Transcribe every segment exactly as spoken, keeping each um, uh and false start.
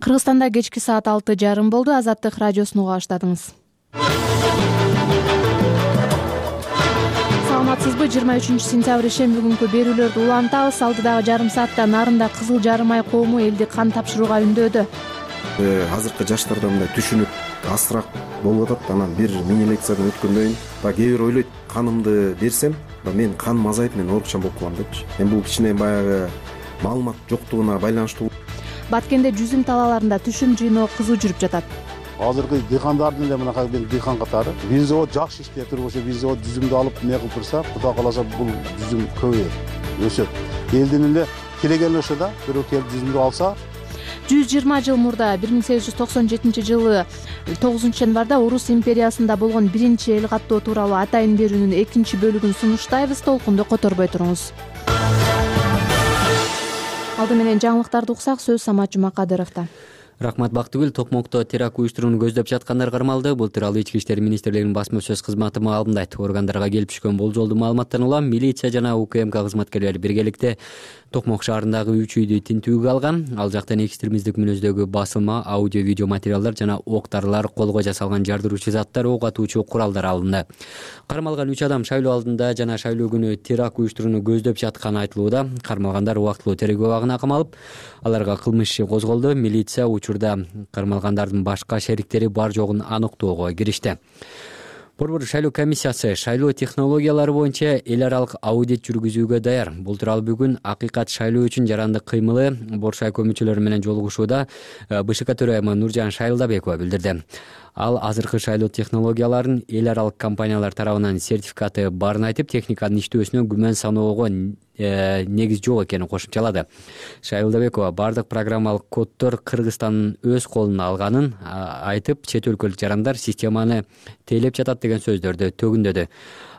Кыргызстанда кечки саат алты жарым болду. Азаттык радиосун уга баштадыңыз. Саламатсызбы? жыйырма үчүнчү сентябрь ишемби күнкү берүүлөрдү улантабыз. Алдыдагы жарым саатта Нарында Кызыл Жарым ай коому элди кан тапшырууга үндөөдү. Азыркы жаштарда мындай түшүнүк азыраак болуп атат. Анан бир мини лекциядан өткөндөн кийин баягы кээ бир ойлойт, канымды берсем, мен каным азайып, мен оорукчан болуп калам депчи. Эми бул кичине баягы маалымат жоктугуна байланыштуу. Баткенде жүзүм талааларында түшүм жыйноо кызуу жүрүп жатат. Азыркы дыйкандардын эле мынакай мен дыйкан катары бир завод жакшы иштеп турбаса, бир завод жүзүмдү алып эмне кылып турса, Кудай кааласа бул жүзүм көбөйөт, өсөт. Элдин эле келеген ошо да бирөө келип жүзүмдү алса. жүз жыйырма жыл мурда бир миң сегиз жүз токсон жетинчи жылы тогузунчу январда Орус империясында болгон биринчи эл каттоо тууралуу атайын берүүнүн экинчи бөлүгүн сунуштайбыз. Толкунду которбой туруңуз. Алды менен жаңылыктарды уксак, сөз Самат Жумакадыровдо. Рахмат Бактыгүл. Токмокто теракт уюштурууну көздөп жаткандар кармалды. Бул тууралуу Ички иштер министрлигинин басма сөз кызматы маалымдайт. Органдарга келип түшкөн болжолдуу маалыматтан улам милиция жана УКМК кызматкерлери биргеликте Токмок шаарындагы үч үйдү тинтүүгө алган. Ал жактан экстремисттик мүнөздөгү басылма, аудио видео материалдар жана ок дарылар, колго жасалган жардыруучу заттар, ок атуучу куралдар алынды. Кармалган үч адам шайлоо алдында жана шайлоо күнү теракт уюштурууну көздөп жатканы айтылууда. Кармалгандар убактылуу тергөө абагына камалып, аларга кылмыш иши козголду. Милиция учурда кармалгандардын башка шериктери бар жогун аныктоого киришти. Борбор шайлоо комиссиясы шайлоо технологиялары боюнча эл аралык аудит жүргүзүүгө даяр. Бул тууралуу бүгүн Акыйкат шайлоо үчүн жарандык кыймылы Боршай көмүчөлөрү менен жолугушууда БШК төрайымы Нуржан Шайылдабекова билдирди. Ал азыркы шайлоо технологияларын эл аралык компаниялар тарабынан сертификаты барын айтып, техниканын иштөөсүнө күмөн саноого негиз жок экенин кошумчалады. Шайылдабекова бардык программалык коддор Кыргызстандын өз колуна алганын айтып, чет өлкөлүк жарандар системаны тейлеп жатат деген сөздөрдү төгүндөдү.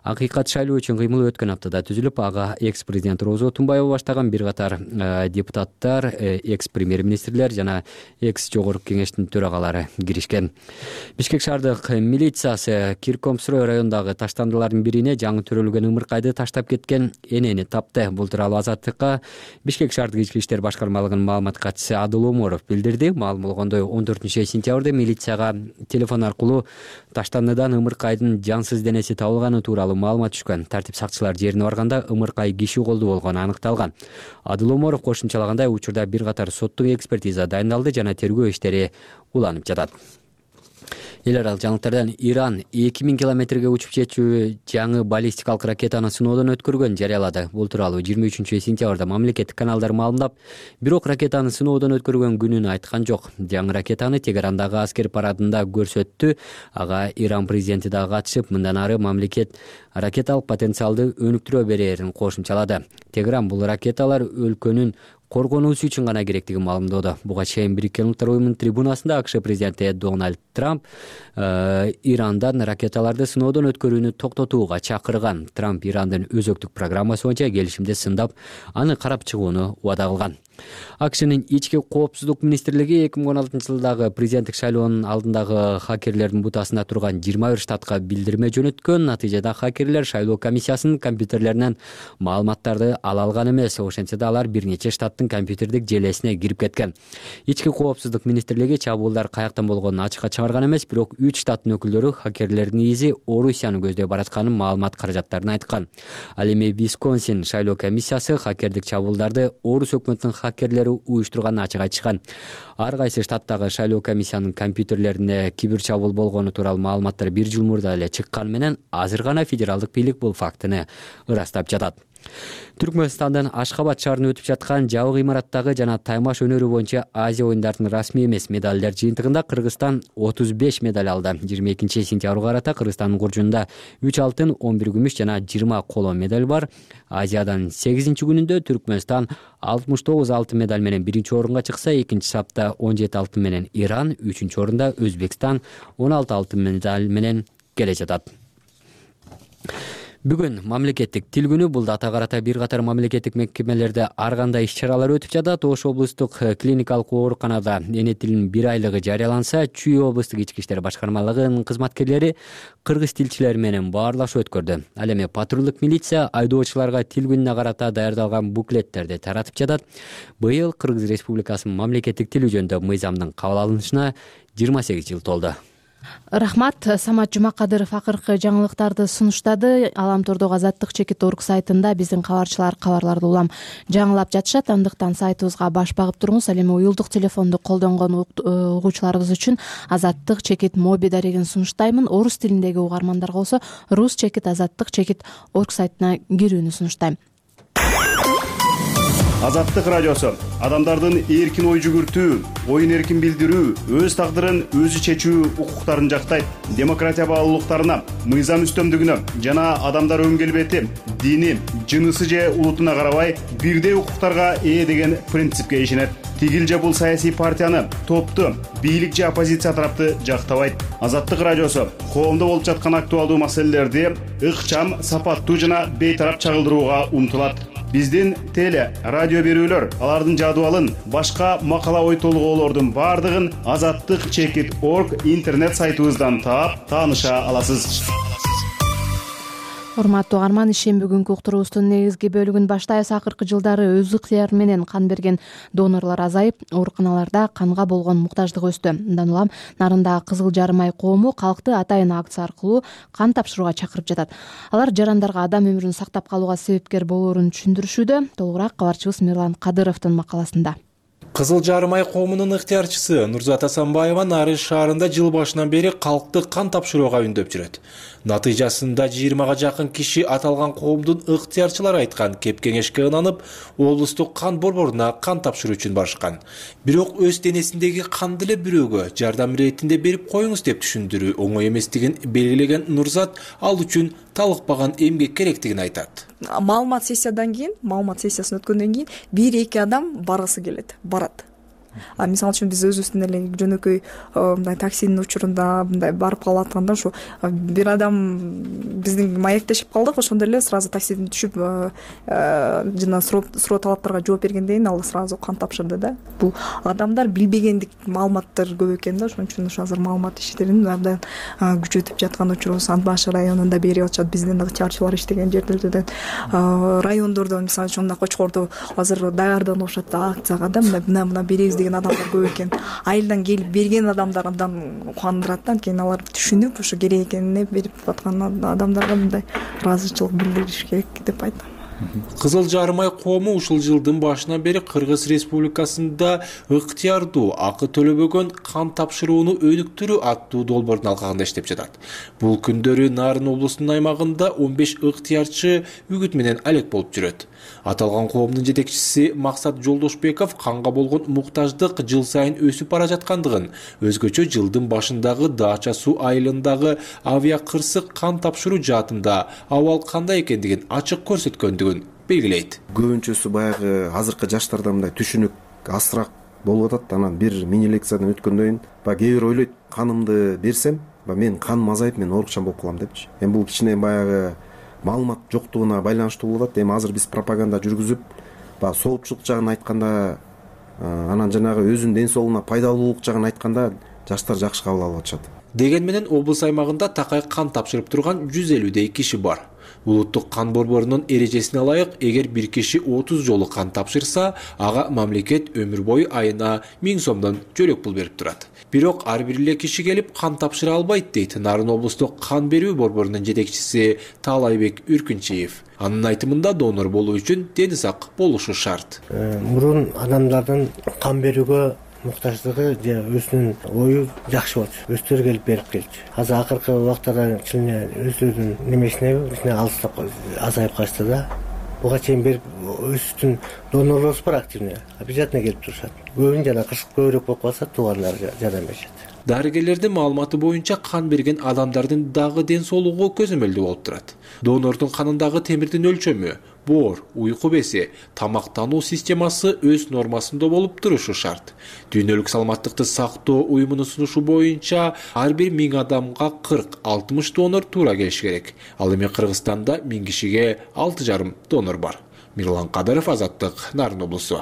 Акыйкат шайлоо үчүн кыймыл өткөн аптада түзүлүп, ага экс-президент Розо Тунбаева баштаган бир катар депутаттар, экс-премьер-министрлер жана экс-жогорку кеңештин төрагалары киришкен. Бишкек шаардык милициясы Киркомсрой районундагы таштандылардын бирине жаңы төрөлгөн ымыркайды таштап кеткен энени тапты. Бул тууралуу Азаттыкка Бишкек шаардык ички иштер башкармалыгынын маалымат катчысы Адыл Оморов билдирди. Маалым болгондой, он төртүнчү сентябрда милицияга телефон аркылуу таштандыдан ымыркайдын жансыз денеси табылганы тууралуу маалымат түшкөн. Тартип сакчылар жерине барганда ымыркай киши колдуу болгону аныкталган. Адыл Оморов кошумчалагандай, учурда бир катар соттук экспертиза дайындалды жана тергөө иштери уланып жатат. Эл аралык жаңылыктардан Иран эки миң километрге учуп жетчү жаңы баллистикалык ракетаны сыноодон өткөргөн жарыялады. Бул тууралуу жыйырма үчүнчү сентябрда мамлекеттик каналдар маалымдап, бирок ракетаны сыноодон өткөргөн күнүн айткан жок. Жаңы ракетаны Тегерандагы аскер парадында көрсөттү. Ага Иран президенти да катышып, мындан ары мамлекет ракеталык потенциалды өнүктүрө берерин кошумчалады. Тегеран бул ракеталар өлкөнүн коргонуусу үчүн гана керектигин маалымдоодо. Буга чейин Бириккен Улуттар уюмунун трибунасында АКШ президенти Дональд Трамп э, Ирандан ракеталарды сыноодон өткөрүүнү токтотууга чакырган. Трамп Ирандын өзөктүк программасы боюнча келишимди сындап, аны карап чыгууну убада кылган. АКШнын ички коопсуздук министрлиги эки миң он алтынчы жылдагы президенттик шайлоонун алдындагы хакерлердин бутасында турган жыйырма бир штатка билдирме жөнөткөн. Натыйжада хакерлер шайлоо комиссиясынын компьютерлеринен маалыматтарды ала алган эмес. Ошентсе да алар бир нече штаттын компьютердик желесине кирип кеткен. Ички коопсуздук министрлиги чабуулдар каяктан болгонун ачыкка чыгарган эмес, бирок үч штаттын өкүлдөрү хакерлердин изи Орусияны көздөй баратканын маалымат каражаттарын айткан. Ал эми Висконсин шайлоо комиссиясы хакердик чабуулдарды Орус өкмөтүнүн хакерлери уюштурганын ачык айтышкан. Ар кайсы штаттагы шайлоо комиссиянын компьютерлерине кибер чабуул болгону тууралуу маалыматтар бир жыл мурда эле чыккан менен азыр гана федералдык бийлик бул фактыны ырастап жатат. Түркмөнстандын Ашхабад шаарында өтүп жаткан жабык имараттагы жана таймаш өнөрү боюнча Азия оюндарынын расмий эмес медалдар жыйынтыгында Кыргызстан отуз беш медаль алды. жыйырма экинчи сентябрга карата Кыргызстандын куржунда үч алтын, он бир күмүш жана жыйырма коло медаль бар. Азиядан сегизинчи күнүндө Түркмөнстан алтымыш тогуз алтын медаль менен биринчи орунга чыкса, экинчи сапта он жети алтын менен Иран, үчүнчү орунда Өзбекстан он алты алтын медаль менен келе жатат. Бүгүн мамлекеттик тил күнү. Бул дата карата бир катар мамлекеттик мекемелерде ар кандай иш-чаралар өтүп жатат. Ош облустук клиникалык ооруканада эне тилинин бир айлыгы жарыяланса, Чүй облустук ички иштер башкармалыгынын кызматкерлери кыргыз тилчилер менен баарлашуу өткөрдү. Ал эми патрулдук милиция айдоочуларга тил күнүнө карата даярдалган буклеттерди таратып жатат. Быйыл Кыргыз Республикасынын мамлекеттик тили жөнүндө мыйзамдын кабыл алынышына жыйырма сегиз жыл толду. Рахмат. Самат Жумакадыров акыркы жаңылыктарды сунуштады. Аламтордогу Азаттык чекит орг сайтында биздин кабарчылар кабарларды улам жаңылап жатышат. Андыктан сайтыбызга баш багып туруңуз. Ал эми уюлдук телефонду колдонгон угуучуларыбыз үчүн Азаттык чекит моби дарегин сунуштаймын. Орус тилиндеги угармандарга болсо рус чекит азаттык чекит орг сайтына кирүүнү сунуштайм. Азаттык радиосу адамдардын эркин ой жүгүртүү, оюн эркин билдирүү, өз тагдырын өзү чечүү укуктарын жактайт. Демократия баалуулуктарына, мыйзам үстөмдүгүнө жана адамдар өн келбети, дини, жынысы же улутуна карабай бирдей укуктарга ээ деген принципке ишенет. Тигил же бул саясий партияны, топту, бийлик же оппозиция тарапты жактабайт. Азаттык радиосу коомдо болуп жаткан актуалдуу маселелерди ыкчам, сапаттуу жана бейтарап чагылдырууга умтулат. Биздин теле, радио берүүлөр, алардын жадыбалын, башка макала ой толгоолордун бардыгын азаттык чекит орг интернет сайтыбыздан таап, тааныша аласыз. Урматтуу угарман, ишен бүгүнкү уктуруубуздун негизги бөлүгүн баштайбыз. Акыркы жылдары өз ыктыяры менен кан берген донорлор азайып, ооруканаларда канга болгон муктаждык өстү. Мындан улам Нарындагы Кызыл Жарым ай коому калкты атайын акция аркылуу кан тапшырууга чакырып жатат. Алар жарандарга адам өмүрүн сактап калууга себепкер болоорун түшүндүрүшүүдө. Толугураак кабарчыбыз Мирлан Кадыровдун макаласында. Кызыл Жарым ай коомунун ыктыярчысы Нурзат Асанбаева Нарын шаарында жыл башынан бери калкты кан тапшырууга үндөп жүрөт. Натыйжасында жыйырмага жакын киши аталган коомдун ыктыярчылары айткан кеп кеңешке ынанып, облустук кан борборуна кан тапшыруу үчүн барышкан. Бирок өз денесиндеги канды эле бирөөгө жардам иретинде берип коюңуз деп түшүндүрүү оңой эместигин белгилеген Нурзат ал үчүн талыкпаган эмгек керектигин айтат. Маалымат сессиядан кийин, маалымат сессиясын өткөндөн кийин бир эки адам баргысы келет, барат. А мисалы үчүн биз өзүбүздүн эле жөнөкөй мындай таксинин учурунда мындай барып калып атканда ушу бир адам биздин маектешип калдык, ошондо эле сразу таксиден түшүп жана суроо талаптарга жооп бергенден кийин ал сразу кан тапшырды да. Бул адамдар билбегендик маалыматтар көп экен да, ошон үчүн азыр маалымат иштерин абдан күчөтүп жаткан учурубуз Ат баш районунда берип атышат. Биздин ыктыярчылар иштеген жерлерден райондордо мисалы үчүн мына Кочкордо азыр даярданып атышат акцияга да, мына мына беребиз деген адамдар көп экен. Айылдан келип берген адамдар абдан кубандырат да, анткени алар түшүнүп ушу керек экенине берип аткан адамдарга мындай ыраазычылык билдириш керек деп айтам. Кызыл Жарым ай коому ушул жылдын башынан бери Кыргыз Республикасында ыктыярдуу, акы төлөбөгөн кан тапшырууну өнүктүрүү аттуу долбоордун алкагында иштеп жатат. Бул күндөрү Нарын облусунун аймагында он беш ыктыярчы үгүт менен алек болуп жүрөт. Аталган коомдун жетекчиси Максат Жолдошбеков канга болгон муктаждык жыл сайын өсүп бара жаткандыгын, өзгөчө жылдын башындагы Дача суу айылындагы авиа кырсык кан тапшыруу жаатында абал кандай экендигин ачык көрсөткөндүгүн белгилейт. Көбүнчөсү баягы азыркы жаштарда мындай түшүнүк азыраак болуп атат. Анан бир мини лекциядан өткөндөн кийин баягы кээ бир ойлойт, канымды берсем, мен каным азайып, мен оорукчан болуп калам депчи. Эми бул кичине баягы маалымат жоктугуна байланыштуу болуп атат. Эми азыр биз пропаганда жүргүзүп, баягы соопчулук жагын айтканда, анан жанагы өзүнүн ден соолугуна пайдалуулук жагын айтканда жаштар жакшы кабыл алып атышат. Деген менен облус аймагында такай кан тапшырып турган жүз элүүдөй киши бар. Улуттук кан борборунун эрежесине ылайык, эгер бир киши отуз жолу кан тапшырса, ага мамлекет өмүр бою айына миң сомдон жөлөк пул берип турат. Бирок ар бир эле киши келип кан тапшыра албайт дейт Нарын облустук кан берүү борборунун жетекчиси Таалайбек Үркүнчиев. Анын айтымында донор болуу үчүн дени сак болушу шарт. Мурун адамдардын кан берүүгө муктаждыгы же өзүнүн ою жакшы болчу. Өздөрү келип берип келчү. Азыр акыркы убактарда чынын өздөрүнүн немесине алыстап азайып калышты да. Буга чейин берип өздүн донорлорубуз бар активный. Обязательно келип турушат. Көбүн жана кышык көбүрөөк болуп калса туугандар жардам беришет. Дарыгерлердин маалыматы боюнча кан берген адамдардын дагы ден соолугу көзөмөлдүү болуп турат. Донордун канындагы темирдин өлчөмү боор, уйку беси, тамактануу системасы өз нормасында болуп турушу шарт. Дүйнөлүк саламаттыкты сактоо уюмунун сунушу боюнча ар бир миң адамга кырк алтымыш донор туура келиши керек. Ал эми Кыргызстанда миң кишиге алты жарым донор бар. Мирлан Кадыров, Азаттык, Нарын облусу.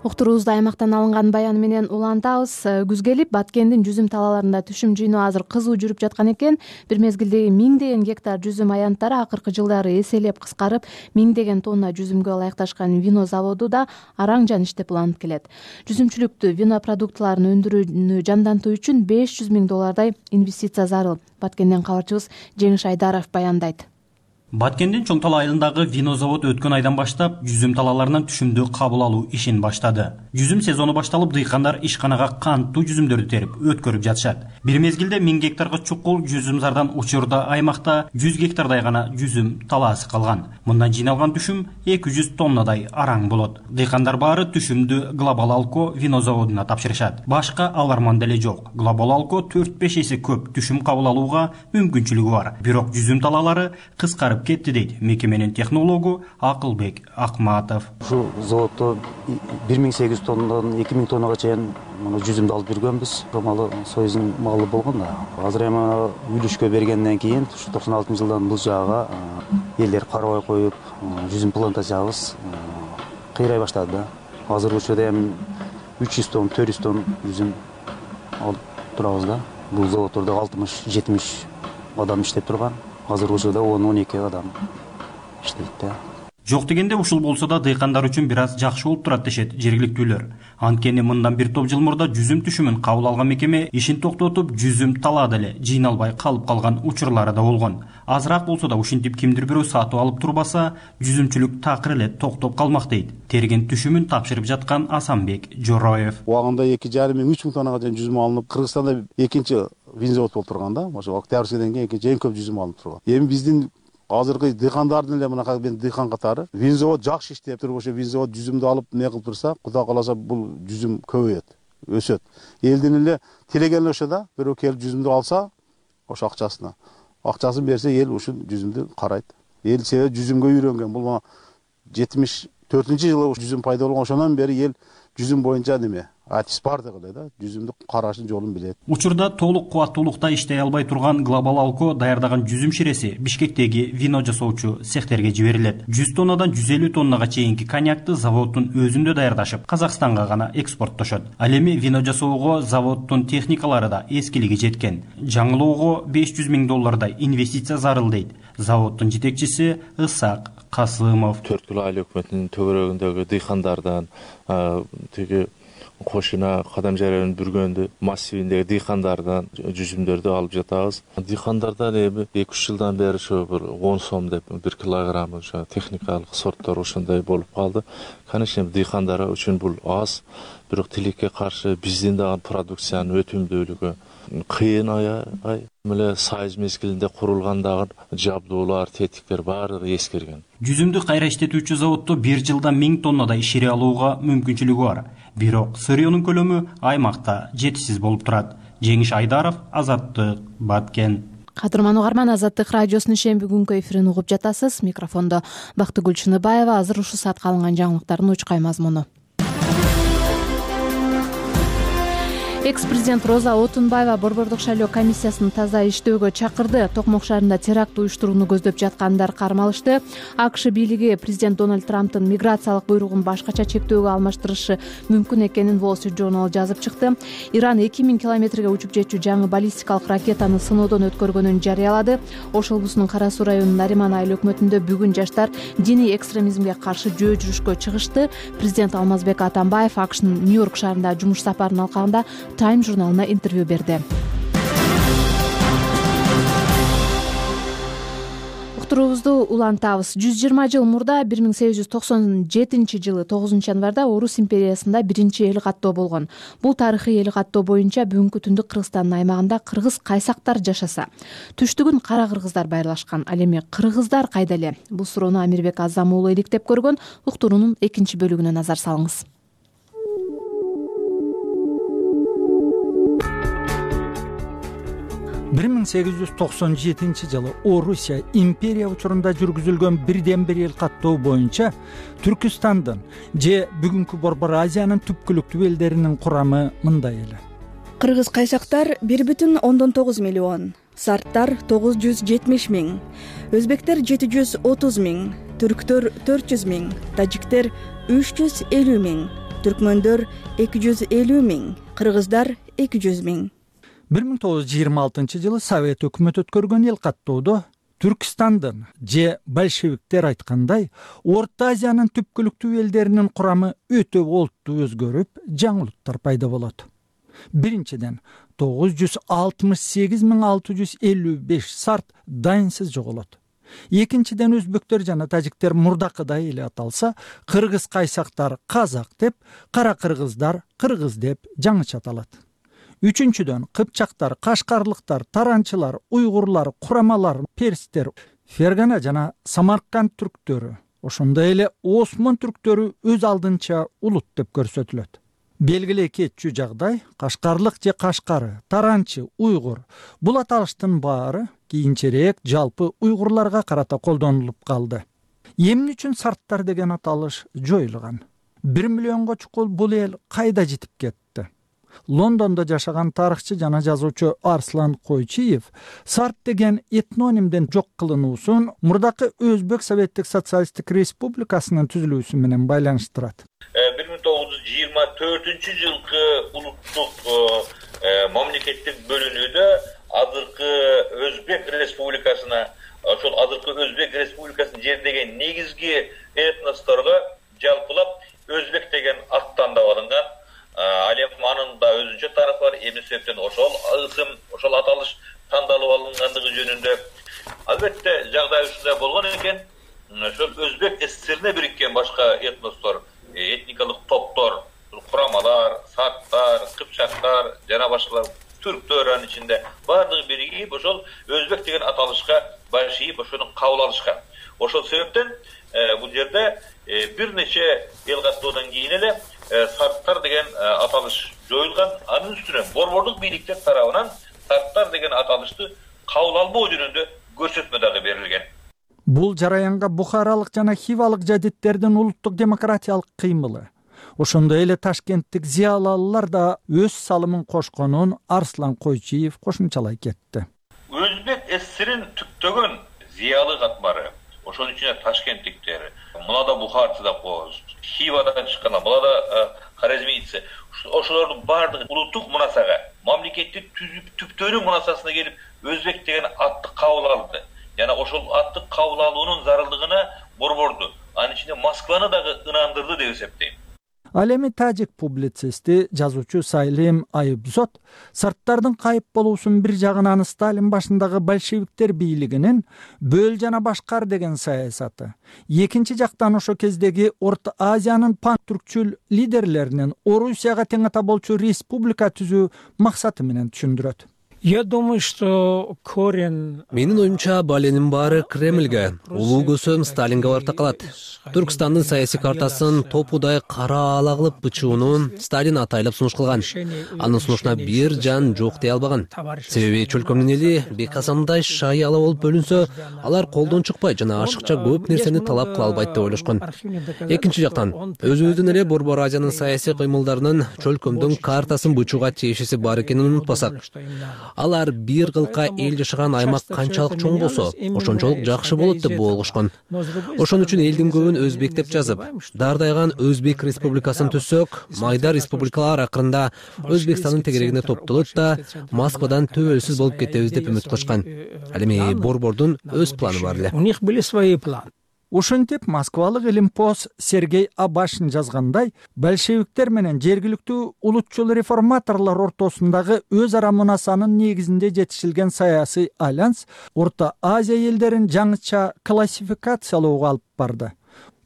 Уктуруубузду аймактан алынган баян менен улантабыз. Күз келип, Баткендин жүзүм талаларында түшүм жыйноо азыр кызуу жүрүп жаткан экен. Бир мезгилдеги миңдеген гектар жүзүм аянттары акыркы жылдары эселеп кыскарып, миңдеген тонна жүзүмгө ылайыкташкан вино заводу да араң жан иштеп уланып келет. Жүзүмчүлүктү, вино продуктларын өндүрүүнү жандантуу үчүн беш жүз миң доллардай инвестиция зарыл. Баткенден кабарчыбыз Жеңиш Айдаров баяндайт. Баткендин Чоң Тала айылындагы вино завод өткөн айдан баштап жүзүм талаларынан түшүмдү кабыл алуу ишин баштады. Жүзүм сезону башталып, дыйкандар ишканага канттуу жүзүмдөрдү терип өткөрүп жатышат. Бир мезгилде миң гектарга чукул жүзүмзардан учурда аймакта жүз гектардай гана жүзүм талаасы калган. Мындан жыйналган түшүм эки жүз тоннадай араң болот. Дыйкандар баары түшүмдү Глобал Алко вино заводуна тапшырышат. Башка аларман деле жок. Глобал Алко төрт беш эсе көп түшүм кабыл алууга мүмкүнчүлүгү бар. Бирок жүзүм талалары кыскарып кетти дейт мекеменин технологу Акылбек Акматов. Ушул заводдо бир миң сегиз жүз тоннадан эки миң тоннага чейин жүзүмдү алып жүргөнбүз. Малы союздун малы болгон да. Азыр эми үлүшкө бергенден кийин токсон алтынчы жылдан бул жагга элдер карабай коюп, жүзүм плантациябыз кыйрай баштады да. Азыркы учурда эми үч жүз тонн, төрт жүз тонн жүзүм алып турабыз да. Бул заводдордо алтымыш жетимиш адам иштеп турган. Азыркы учурда он он эки адам иштейт да. Жок дегенде ушул болсо да дыйкандар үчүн бир аз жакшы болуп турат дешет жергиликтүүлөр. Анткени мындан бир топ жыл мурда жүзүм түшүмүн кабыл алган мекеме ишин токтотуп, жүзүм талаа деле жыйналбай калып калган учурлары да болгон. Азыраак болсо да ушинтип кимдир бирөө сатып алып турбаса, жүзүмчүлүк такыр эле токтоп калмак дейт. Терген түшүмүн тапшырып жаткан Асанбек Жороев. Убагында эки жарым миң үч миң тоннага чейин жүзүм алынып, Кыргызстанда экинчи вин завод болуп турган да. Ошо Октябрьскийден кийин экинчи эң көп жүзүм алынып турган. Эми биздин азыркы дыйкандардын эле мынакай мен дыйкан катары вин завод жакшы иштеп туруп, ошо вин завод жүзүмдү алып не кылып турса, Кудай кааласа бул жүзүм көбөйөт, өсөт. Элдин эле тилеген ошо да бирөө келип жүзүмдү алса, ошо акчасына. Акчасын берсе, эл ушул жүзүмдү карайт. Эл себеби жүзүмгө үйрөнгөн. Бул мына жетимиш төртүнчү жылы жүзүм пайда болгон, ошондон бери эл жүзүм боюнча неме атис бар деп эле да, жүзүмдү карашын жолун билет. Учурда толук кубаттуулукта иштей албай турган Глобал Алко даярдаган жүзүм ширеси Бишкектеги вино жасоочу цехтерге жиберилет. жүз тоннадан жүз элүү тоннага чейинки коньякты заводдун өзүндө даярдашып, Казакстанга гана экспорттошот. Ал эми вино жасоого заводдун техникалары да эскилиги жеткен. Жаңылоого беш жүз миң доллардай инвестиция зарыл дейт заводдун жетекчиси Ысак Касымов. төрт кило айыл өкмөтүнүн төгөрөгүндөгү дыйкандардан тиги кошуна кадам жаранын бүргөндү массивиндеги дыйкандардан жүзүмдөрдү алып жатабыз. Дыйкандардан эми эки үч жылдан бери ошо бир он сом деп бир килограмм ошо техникалык сорттор ошондой болуп калды. Конечно, дыйкандар үчүн бул аз, бирок тилекке каршы биздин дагы продукциянын өтүмдүүлүгү кыйын аябай. Мына сайыз мезгилинде курулгандагы жабдуулар, тетиктер баардыгы эскирген. Жүзүмдү кайра иштетүүчү заводдо бир жылда миң тоннадай шире алууга мүмкүнчүлүгү бар. Бирок сырьёнун көлөмү аймакта жетишсиз болуп турат. Жеңиш Айдаров, Азаттык, Баткен. Кадырман угарман, Азаттык радиосунун шемби күнгү эфирин угуп жатасыз. Микрофондо Бактыгүл Чыныбаева. Азыр ушул саатка алынган жаңылыктардын учкай мазмуну. Экс-президент Роза Отунбаева Борбордук шайлоо комиссиясын таза иштөөгө чакырды. Токмок шаарында теракт уюштурууну көздөп жаткандар кармалышты. АКШ бийлиги президент Дональд Трамптын миграциялык буйругун башкача чектөөгө алмаштырышы мүмкүн экенин Wall Street Journal жазып чыкты. Иран эки миң километрге учуп жетчү жаңы баллистикалык ракетаны сыноодон өткөргөнүн жарыялады. Ош облусунун Кара Суу районунун Нариман айыл өкмөтүндө бүгүн жаштар диний экстремизмге каршы жөө жүрүшкө чыгышты. Президент Алмазбек Атамбаев АКШнын Нью-Йорк шаарында жумуш сапарын алкагында Time журналына интервью берди. Уктуруубузду улантабыз. жүз жыйырма жыл мурда бир миң сегиз жүз токсон жетинчи жылы тогузунчу январда Орус империясында биринчи эл каттоо болгон. Бул тарыхый эл каттоо боюнча бүгүнкү түндүк Кыргызстандын аймагында кыргыз кайсактар жашаса, түштүгүн кара кыргыздар байырлашкан. Ал эми кыргыздар кайда эле? Бул суроону Амирбек Азам уулу иликтеп көргөн. Уктуруунун экинчи бөлүгүнө назар салыңыз. бир миң сегиз жүз токсон жетинчи жылы Орусия империя учурунда жүргүзүлгөн бирден бир эл каттоо боюнча Түркүстандын же бүгүнкү Борбор Азиянын түпкүлүктүү элдеринин курамы мындай эле. Кыргыз кайсактар бир бүтүн ондон тогуз миллион, сарттар тогуз жүз жетимиш миң, өзбектер жети жүз отуз миң, түрктөр төрт жүз миң, тажиктер үч жүз элүү миң, түркмөндөр эки жүз элүү миң, кыргыздар эки жүз миң. бир миң тогуз жүз жыйырма алтынчы жылы Совет өкмөтү өткөргөн эл каттоодо Түркстандын же большевиктер айткандай Орто Азиянын түпкүлүктүү элдеринин курамы өтө олуттуу өзгөрүп, жаңы улуттар пайда болот. Биринчиден, тогуз жүз алтымыш сегиз миң алты жүз элүү беш сарт дайынсыз жоголот. Экинчиден, өзбектер жана тажиктер мурдакыдай эле аталса, кыргыз кайсактар казак деп, кара кыргыздар кыргыз деп жаңыча аталат. Үчүнчүдөн, кыпчактар, кашкарлыктар, таранчылар, уйгурлар, курамалар, перстер, Фергана жана Самарканд түрктөрү, ошондой эле Осмон түрктөрү өз алдынча улут деп көрсөтүлөт. Белгилүү кетчү жагдай кашкарлык же кашкары, таранчы, уйгур бул аталыштын баары кийинчерээк жалпы уйгурларга карата колдонулуп калды. Эмне үчүн сарттар деген аталыш жоюлган? бир миллионго чукул бул эл кайда жетип кетти? Лондондо жашаган тарыхчы жана жазуучу Арслан Койчиев сарт деген этнонимден жок кылынуусун мурдакы Өзбек Советтик Социалисттик Республикасынын түзүлүүсү менен байланыштырат. бир миң тогуз жүз жыйырма төртүнчү жылкы улуттук мамлекеттик бөлүнүүдө азыркы Өзбек Республикасына, ошол азыркы Өзбек Республикасын жердеген негизги этносторго жалпылап Өзбек деген ат тандап алынган. Ал эми анын да өзүнчө тарыхы бар. Эмне себептен ошол ысым, ошол аталыш тандалып алынгандыгы жөнүндө албетте жагдай ушундай болгон экен. Ошол Өзбек СССРине бириккен башка этностор, этникалык топтор, курамалар, сарттар, кыпчактар жана башкалар, түрктөр анын ичинде баардыгы биригип ошол Өзбек деген аталышка башыйып ошону кабыл алышкан. Ошол себептен бул жерде бир нече эл каттоодон кийин эле сарттар деген аталыш жоюлган. Анын үстүнө борбордук бийликтер тарабынан сарттар деген аталышты кабыл албоо жөнүндө көрсөтмө дагы берилген. Бул жараянга бухаралык жана хивалык жадиттердин улуттук демократиялык кыймылы, ошондой эле Ташкенттик зыялалылар да өз салымын кошконун Арслан Койчиев кошумчалай кетти. Өзбек СССРин түптөгөн зыялы катмары, ошонун ичинде ташкенттиктер, мулада бухарцы да коз, Хивадан чыккан, мулада Хорезмийцы, ошолордун баардыгы улуттук мунасага, мамлекетти түзүп түптөнүү мунасасына келип Өзбек деген атты кабыл алды. Жана ошол атты кабыл алуунун зарылдыгына борборду, анын ичинде Москваны дагы ынандырды деп эсептейм. Ал эми тажик публицисти, жазуучу Сайлим Айыбзот сарттардын кайып болуусун бир жагынан Сталин башындагы большевиктер бийлигинин бөл жана башкар деген саясаты, экинчи жактан ошо кездеги Орто Азиянын пан-түркчүл лидерлеринин Орусияга тең ата болчу республика түзүү максаты менен түшүндүрөт. Я думаю, что корень... Менин оюмча, баленин баары Кремльге, улуу көсөм Сталинге барып такалат. Түркстандын саясий картасын топудай кара ала кылып бычуунун Сталин атайлап сунуш кылган. Анын сунушуна бир жан жок дей албаган. Себеби чөлкөмдүн эли Бекасамдай шай ала болуп бөлүнсө, алар колдон чыкпай жана ашыкча көп нерсени талап кыла албайт деп ойлошкон. Экинчи жактан, өзүбүздүн эле Борбор Азиянын саясий кыймылдарынын чөлкөмдүн картасын бычууга тиешеси бар экенин унутпасак. Алар бир кылка эл жашаган аймак канчалык чоң болсо, ошончолук жакшы болот деп болгошкон. Ошон үчүн элдин көбүн өзбек деп жазып, дардайган Өзбек республикасын түзсөк, майда республикалар акырында Өзбекстандын тегерегине топтолот да Москвадан төбөлсүз болуп кетебиз деп үмүт кылышкан. Ал эми борбордун өз планы бар эле. У них были свои планы. Ошентип Москвалык илимпоз Сергей Абашин жазгандай, большевиктер менен жергиликтүү улутчул реформаторлор ортосундагы өз ара мунасанын негизинде жетишилген саясий альянс Орто Азия элдерин жаңыча классификациялоого алып барды.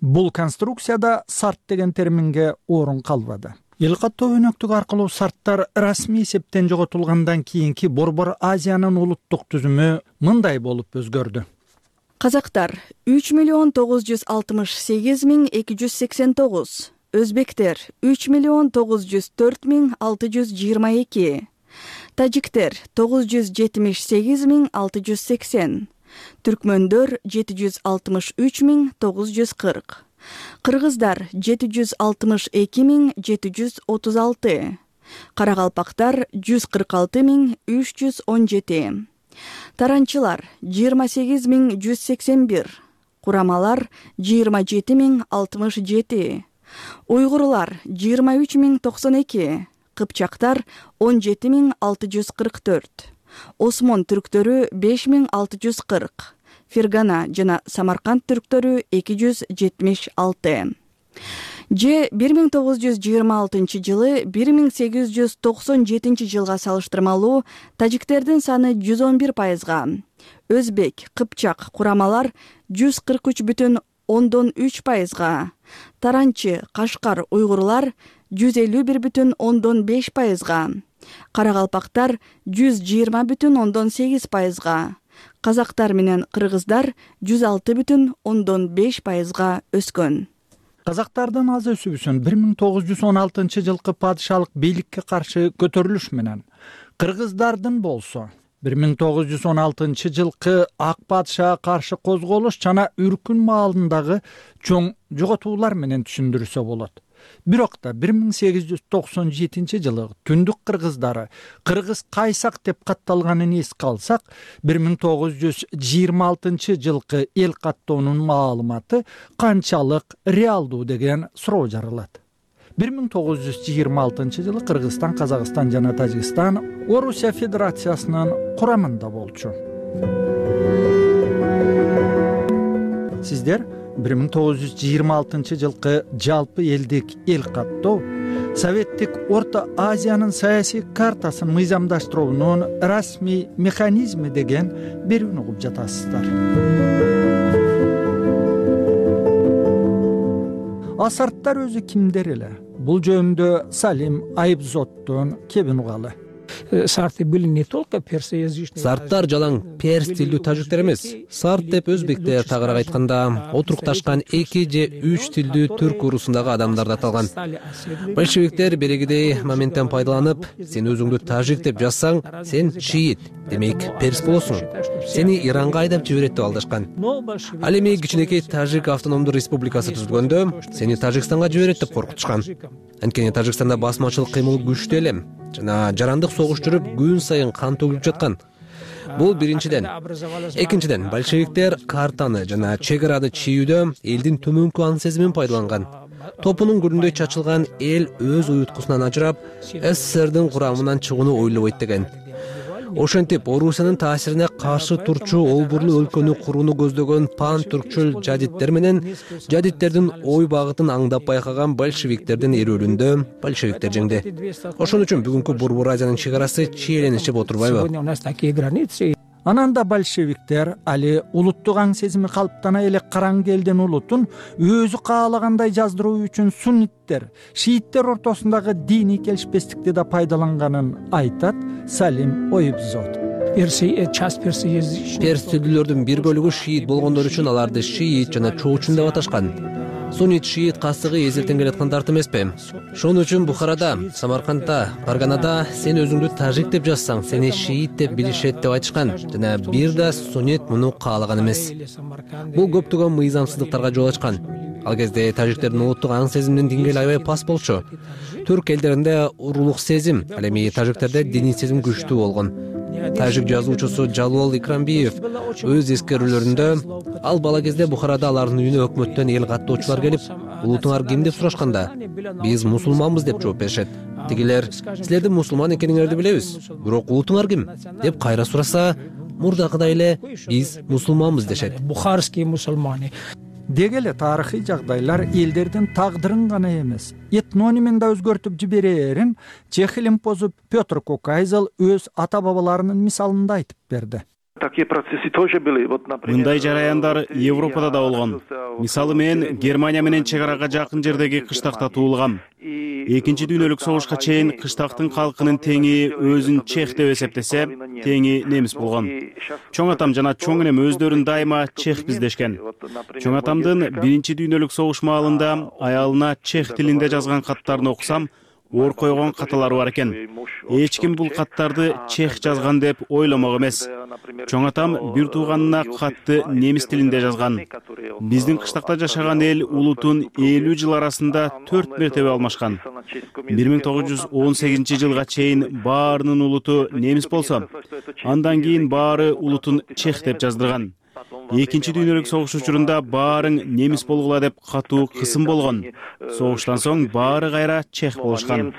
Бул конструкцияда сарт деген терминге орун калбады. Эл каттоо өнөктүгү аркылуу сарттар расмий эсептен жоготулгандан кийинки Борбор Азиянын улуттук түзүмү мындай болуп өзгөрдү. Казактар үч миллион тогуз жүз алтымыш сегиз миң эки жүз сексен тогуз, өзбектер үч миллион тогуз жүз төрт миң алты жүз жыйырма эки, тажиктер тогуз жүз жетимиш сегиз миң алты жүз сексен, түркмөндөр жети жүз алтымыш үч миң тогуз жүз кырк, кыргыздар жети жүз алтымыш эки миң жети жүз отуз алты, каракалпактар жүз кырк алты миң үч жүз он жети, таранчылар жыйырма сегиз миң жүз сексен бир, курамалар жыйырма жети миң алтымыш жети, уйгурлар жыйырма үч миң токсон эки, кыпчактар он жети миң алты жүз кырк төрт, осмон түрктөрү беш миң алты жүз кырк, Фергана жана Самарканд түрктөрү эки жүз жетимиш алты. Же бир миң тогуз жүз жыйырма алтынчы жылы бир миң сегиз жүз токсон жетинчи жылга салыштырмалуу тажиктердин саны жүз он бир пайызга, өзбек, кыпчак, курамалар жүз кырк үч бүтүн ондон үч пайызга, таранчы, кашкар, уйгурлар жүз элүү бир бүтүн ондон беш пайызга, каракалпактар жүз жыйырма бүтүн ондон сегиз пайызга, казактар менен кыргыздар жүз алты бүтүн ондон беш пайызга өскөн. Казактардын аз өсүүсүн бир миң тогуз жүз он алтынчы жылкы падышалык бийликке каршы көтөрүлүш менен, кыргыздардын болсо бир миң тогуз жүз он алтынчы жылкы ак падышага каршы козголуш жана Үркүн маалындагы чоң жоготуулар менен түшүндүрсө болот. Бирок да бир миң сегиз жүз токсон жетинчи жылы түндүк кыргыздары кыргыз кайсак деп катталганын эске алсак, бир миң тогуз жүз жыйырма алтынчы жылкы эл каттоонун маалыматы канчалык реалдуу деген суроо жаралат. бир миң тогуз жүз жыйырма алтынчы жылы Кыргызстан, Казакстан жана Тажикстан Орусия Федерациясынын курамында болчу. Сиздер бир миң тогуз жүз жыйырма алтынчы жылкы жалпы элдик эл каттоо Советтик Орто Азиянын саясий картасын мыйзамдаштыруунун расмий механизми деген берүүнү угуп жатасыздар. Асарттар өзү кимдер эле? Бул жөнүндө Салим Айбзоттон кебин угалы. Сарты были не только персоязычные. Сарттар жалаң перс тилдүү тажиктер эмес. Сарт деп өзбектер тагыраак айтканда отурукташкан эки же үч тилдүү түрк урусундагы адамдарды аталган. Большевиктер берегидей моменттен пайдаланып, сен өзүңдү тажик деп жазсаң, сен шиит, демек перс болосуң. Сени Иранга айдап жиберет деп алдашкан. Ал эми кичинекей Тажик автономдуу республикасы түзүлгөндө, сени Тажикстанга жиберет деп коркутушкан. Анткени Тажикстанда басмачылык кыймыл күчтүү эле жана жарандык согуш жүрүп, күн сайын кан төгүлүп жаткан. Бул биринчиден. Экинчиден, большевиктер картаны жана чек араны чийүүдө элдин төмөнкү аң сезимин пайдаланган. Топунун гүлүндөй чачылган эл өз уюткусунан ажырап, СССРдин курамынан чыгууну ойлобойт деген. Ошентип, Орусиянын таасирине каршы турчу олбурлуу өлкөнү курууну көздөгөн пан-түркчүл жадиттер менен жадиттердин ой багытын аңдап байкаган большевиктердин эрүүлүндө большевиктер жеңди. Ошон үчүн бүгүнкү Борбор Азиянын чек арасы чиеленишип отурбайбы? Анан да большевиктер али улуттук аң сезими калыптана эле караң элдин улутун өзү каалагандай жаздыруу үчүн сунниттер, шииттер ортосундагы диний келишпестикти да пайдаланганын айтат Салим Ойбзот. Перс тилдүүлөрдүн бир бөлүгү шиит болгондор үчүн аларды шиит жана чоочун деп аташкан. Суннит шиит касыгы эзилтен келаткандарт эмеспи? Шон үчүн Бухарада, Самаркандда, Фарганада сен өзүңдү тажик деп жазсаң, сени шиит деп билишет деп айтышкан. Жана бир да суннит муну каалаган эмес. Бул көптөгөн мыйзамсыздыктарга жол ачкан. Ал кезде тажиктердин улуттук аң сезиминин деңгээли аябай пас болчу. Түрк элдеринде уруулук сезим, ал эми тажиктерде диний сезим күчтүү болгон. Тажик жазуучусу Жалол Икрамбиев өз эскерүүлөрүндө ал бала кезде Бухарада алардын үйүнө өкмөттөн эл каттоочулар келип, улутуңар ким деп сурашканда, биз мусулманбыз деп жооп беришет. Тигилер, силердин мусулман экениңерди билебиз, бирок улутуңар ким деп кайра сураса, мурдакыдай эле биз мусулманбыз дешет. Бухарский мусулмане. Деги эле тарыхый жагдайлар элдердин тагдырын гана эмес, этнонимин да өзгөртүп жиберерин чех илимпозу Петр Кокайзел өз ата бабаларынын мисалында айтып берди. Мындай жараяндар Европада да болгон. Мисалы мен Германия менен чек арага жакын жердеги кыштакта туулгам. Экинчи дүйнөлүк согушка чейин кыштактын калкынын теңи өзүн чех деп эсептесе, теңи немис болгон. Чоң атам жана чоң энем өздөрүн дайыма чехпиз дешкен. Чоң атамдын биринчи дүйнөлүк согуш маалында аялына чех тилинде жазган каттарын окусам, оор койгон каталары бар экен. Эч ким бул каттарды чех жазган деп ойламок эмес. Чоң атам бир тууганына катты немис тилинде жазган. Биздин кыштакта жашаган эл улутун элүү жыл арасында төрт мертебе алмашкан. бир миң тогуз жүз он сегизинчи жылга чейин баарынын улуту немис болсо, андан кийин баары улутун чех деп жаздырган. Экинчи дүйнөлүк согуш учурунда баарың немис болгула деп катуу кысым болгон. Согуштан соң баары кайра чех болушкан.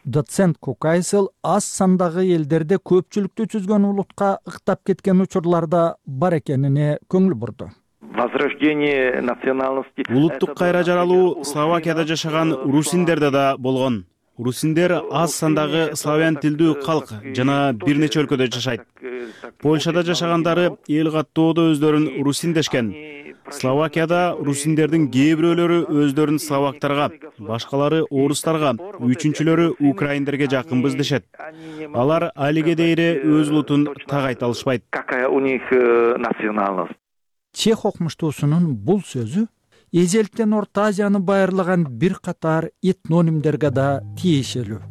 Доцент Кукайсыл аз сандагы элдерде көпчүлүктү түзгөн улутка ыктап кеткен учурларда бар экенине көңүл бурду. Улуттук кайра жаралуу Словакияда жашаган русиндерде да болгон. Русиндер аз сандагы славян тилдүү калк жана бир нече өлкөдө жашайт. Польшада жашагандары эл каттоодо өздөрүн русин дешкен. Словакияда русиндердин кээ бирөөлөрү өздөрүн словактарга, башкалары орустарга, үчүнчүлөрү украиндерге жакынбыз дешет. Алар алиге дейре өз улутун так айта алышпайт. Чех окумуштуусунун бул сөзү эзелтен Орто Азияны байырлаган бир катар этнонимдерге да тиешелүү.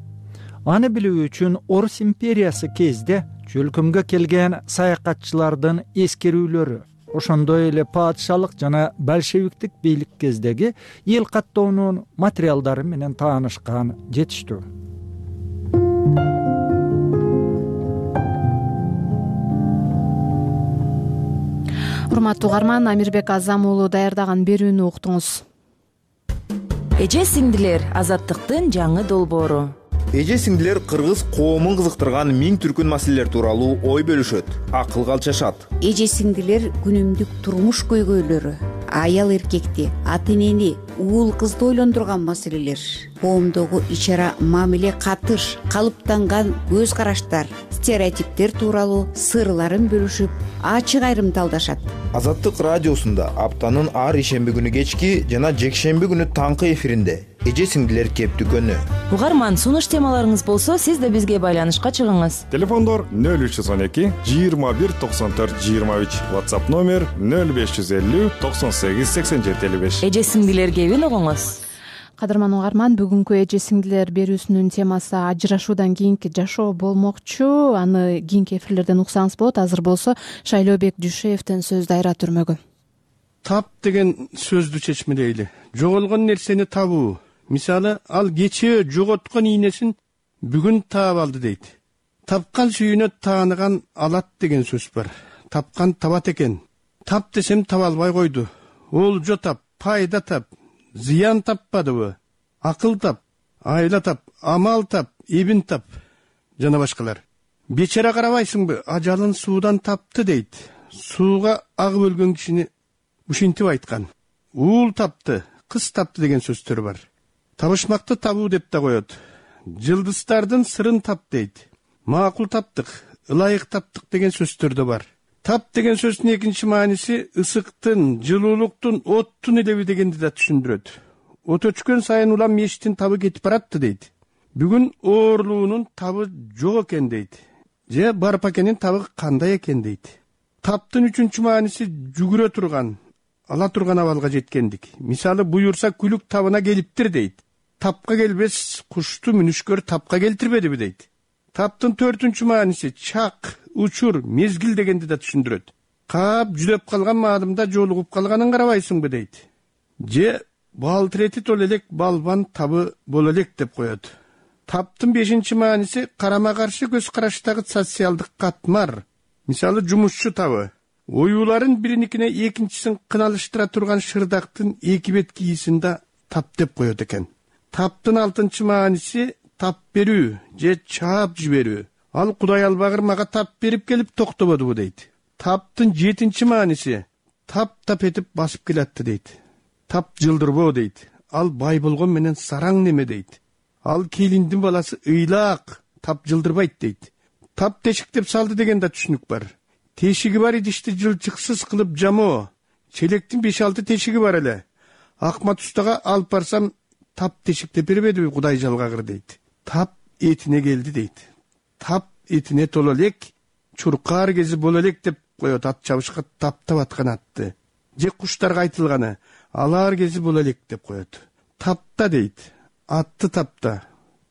Аны билүү үчүн Орус империясы кезде чөлкөмгө келген саякатчылардын эскерүүлөрү, ошондой эле падышалык жана большевиктик бийлик кездеги эл каттоонун материалдары менен таанышкан жетиштүү. Урматтуу угарман, Амирбек Азам уулу даярдаган берүүнү уктуңуз. Эже сиңдилер азаттыктын жаңы долбоору. Эже сиңдилер кыргыз коомун кызыктырган миң түркүн маселелер тууралуу ой бөлүшөт, акылга алчашат. Эже сиңдилер күнүмдүк турмуш көйгөйлөрү, аял эркекти, ата энени, уул кызды ойлондурган маселелер, коомдогу ичара мамиле катыш, калыптанган көз караштар, стереотиптер тууралуу сырларын бөлүшүп, ачык айрымталдашат. Азаттык радиосунда аптанын ар ишемби күнү кечки жана жекшемби күнү таңкы эфиринде эже сиңдилер кептүкөнү. Угарман, сунуш темаларыңыз болсо, сиз да бизге байланышка чыгыңыз. Телефондор нөл үч жүз он эки жыйырма бир токсон төрт жыйырма үч, WhatsApp номер нөл беш жүз элүү токсон сегиз сексен жети элүү беш. Эже сиңдилер кебин угуңуз. Кадырман угарман, бүгүнкү эже сиңдилер берүүсүнүн темасы ажырашуудан кийинки жашоо болмокчу. Аны кийинки эфирлерден уксаңыз болот. Азыр болсо Шайлообек Дүйшеевден сөз дайра түрмөгү. Тап деген сөздү чечмелейли. Жоголгон нерсени табуу. Мисалы, ал кечээ жоготкон ийнесин бүгүн таап алды дейт. Тапкан сүйүнө тааныган алат деген сөз бар. Тапкан табат экен. Тап десем таба албай койду. Олжо тап, пайда тап, зыян таппадыбы? Акыл тап, айла тап, амал тап, эбин тап жана башкалар. Бечара карабайсыңбы, ажалын суудан тапты дейт. Сууга агып өлгөн кишини ушинтип айткан. Уул тапты, кыз тапты деген сөздөр бар. Табышмакты табуу деп да коет. Жылдыздардын сырын тап дейт. Макул таптык, ылайык таптык деген сөздөр да бар. Тап деген сөздүн экинчи мааниси ысыктын, жылуулуктун, оттун илеби дегенди да түшүндүрөт. От өчкөн сайын улам мештин табы кетип баратты дейт. Бүгүн оорлуунун табы жок экен дейт. Же барпакенин табы кандай экен дейт. Таптын үчүнчү мааниси жүгүрө турган, ала турган абалга жеткендик. Мисалы, буюрса күлүк табына келиптир дейт. Тапка келбес кушту мүнүшкөр тапка келтирбедиби дейт. Таптын төртүнчү мааниси чак, учур, мезгил дегенди да түшүндүрөт. Каап жүдөп калган маалымда жолугуп калганын карабайсыңбы дейт. Же балтырети тол элек балбан табы боло элек деп коет. Таптын бешинчи мааниси карама каршы көз караштагы социалдык катмар. Мисалы, жумушчу табы. Оюуларын бириникине экинчисин кыналыштыра турган шырдактын эки бет кийисин да тап деп коет экен. Таптын алтынчы мааниси тап берүү же чаап жиберүү. Ал Кудай албагыр мага тап берип келип токтободубу дейт. Таптын жетинчи мааниси тап тап этип басып келатты дейт. Тап жылдырбоо дейт. Ал бай болгон менен сараң неме дейт. Ал келиндин баласы ыйлаак, тап жылдырбайт дейт. Тап тешиктеп салды деген да түшүнүк бар. Тешиги бар идишти жылчыксыз кылып жамоо. Челектин беш алты тешиги бар эле. Акмат устага алып барсам тап тешиктеп бербедиби Кудай жалгагыр дейт. Тап этине келди дейт. Тап этине толо элек, чуркаар кези боло элек деп коет ат чабышка таптап аткан атты. Же куштарга айтылганы алар кези боло элек деп коет. Тапта дейт. атты тапта,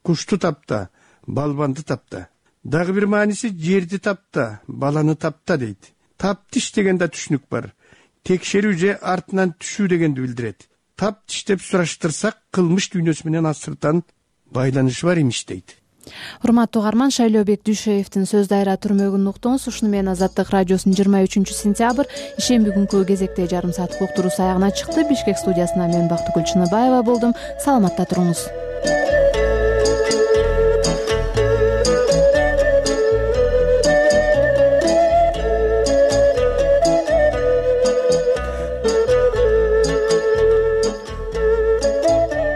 кушту тапта, балбанды тапта. Дагы бир мааниси жерди тапта, баланы тапта дейт. Таптиш деген да түшүнүк бар. Текшерүү же артынан түшүү дегенди билдирет. Таптиш деп сураштырсак, кылмыш дүйнөсү менен асыртан байланышы бар имиш дейт. Урматтуу угарман, Шайлообек Дүйшеевдин сөз дайра түрмөгүн уктуңуз. Ушуну менен Азаттык радиосунун жыйырма үчүнчү сентябрь ишемби күнкү кезекте жарым сааттык уктуруусу аягына чыкты. Бишкек студиясына мен Бактыгүл Чыныбаева болдум. Саламатта туруңуз.